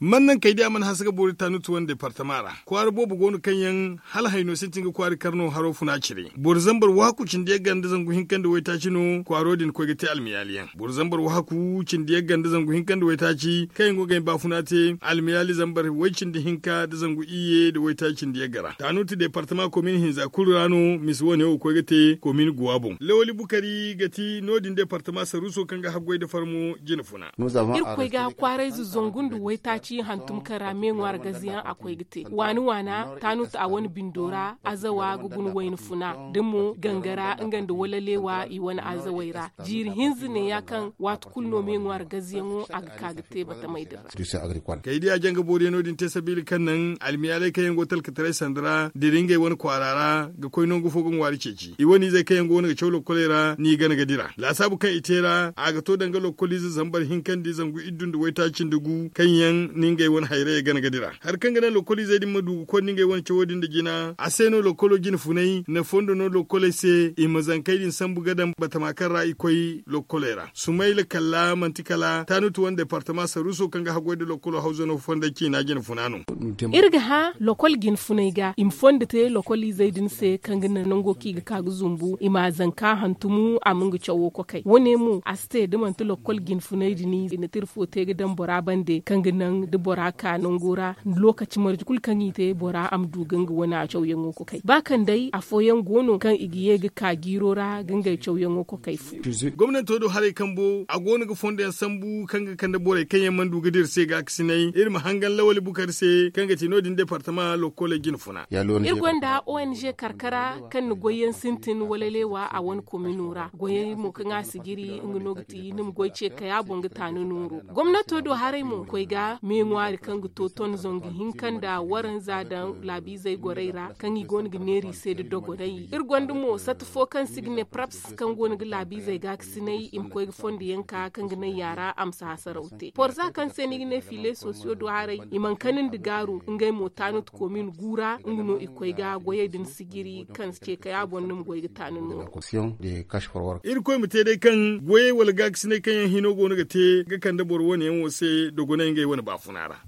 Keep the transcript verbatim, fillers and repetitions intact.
Man naŋ kay di a mana hanse ga boori tanutu wane departama ra kwaara boobo go no kaŋ yaŋ hala hayno sintin ga kwaari karno haro funa cire boro zambar waaku cindi yagga nda zangu hinka nda waytaaci no kwaaro din koy ga te almiyaali yaŋ. Boro zambar waaku cindi yagga nda zangu hinka nda waytaaci kaŋ yaŋ go ga ay baafuna te almiyaali zambar way cindi hinka nda zangu iyye nda waytaaci cindi yagga ra tanutu departama komin hinza kulu ra no misa wane wo koy ga te komin guwa boŋ lawali bukari ga ti no- din departama saruuso kaŋ ga haggoy nda farmo jina funa. Iri koy ga kwaarayze zangu nda waytaaci hantum kaŋ ra me ŋwaari gaze yaŋ a koy ga te waani waana taanut a wane bindo ra azawa ga guna wayna funa da mo gangara nga nda walaleewa i wane azawey ra. Jiiri hinza neeya kaŋ waati kulu no me ŋwaari gaze yaŋo a ga ka ga te batamey din ra. Kay di a janga booriyaŋo din te sabiila kaŋ naŋ almiyaaley kaŋ yaŋ go talkataray sanda ra dira ngey wane kwaara ra ga koy nangu fo ga ŋwaari ceeci i wane izey kaŋ yaŋ go no ga caw lokkoley ra n'i gana ga dira laasaabu kaŋ i te ra a ga to danga lokkoliize zambar hinka nda zangu iddu nda waytaaci nda gu kaŋ yaŋ ni ngey wane hayrayey gana ga dira hari kaŋ ga naŋ lokkoliizey din ma du ga koy nda ngey wane cawo din nda jina a se no lokkolo jina funay na fondo no lokkoley se i ma zankey din sambu ga daŋ batama kaŋ ra i koy lokkoley ra sumayla kalla manti kala taanutu wane departama saruuso kaŋ ga haggoy nda lokkolo hawza no fonda ciina jina funa no. Iri ga hã lokol jina funay ga i ma fondo te lokoliizey din se kaŋ ga naŋ nango kaŋ i ga ka ga zumbu i ma a zanka hantumu a ma nga cawo kokay wane mo a si te da manti lokol jina funay din i na tira fo te ga daŋ bora bande kaŋ ga naŋ da bora ka nango ra. Lookaci marje kulu kaŋ i te bora a ma du ga nga wane a cawyaŋo kokay ba kaŋ day afooyaŋ go no kaŋ i ga ye ga ka jiiro ra ga ngey cawyaŋo kokay fu. Gomnanto do haray kambo a go no ga fondo yaŋ sambu kaŋ ga kande borey kaŋ yaŋ mana du ga dira se ga ga sinay iri ma hangan lawali bukari se kaŋ ga ti no- din departama lokkoley jina funa. Iri gonda ong karkara kaŋ na goyyaŋ sintin wala leewa a wane komino ra goyey mo kaŋ a si jiri nga no ga ti ni ma goy ce kaya boŋ ga taani nooru. Gomnato do haray mo koy ga me ŋwaari kaŋ ga to ton zangu hinka nda waranza daŋ laabiizey gorey ra kaŋ i go no ga neera i se nda dogonay iri gonda mo sata fo kaŋ si ga ne praps kaŋ go no ga laabiizey ga ga sinay i ma koy ga fondo yaŋ ka kaŋ ga naŋ yaara a ma si hasaraw te porza kaŋ se ni ga ne fiile sosiyo do haray i mana kani nda gaaru ngey mo taanut komin gu ra nga no i koy ga goyey din sijiri kaŋ si ce kay a boŋ ni ma goy ga taani no. Iri koy ma te day kaŋ goyey wala gaakasinay kaŋ yaŋ hino go no ga te ga kande boro wane yaŋ wo se dogonay ngey wane baafuna ra.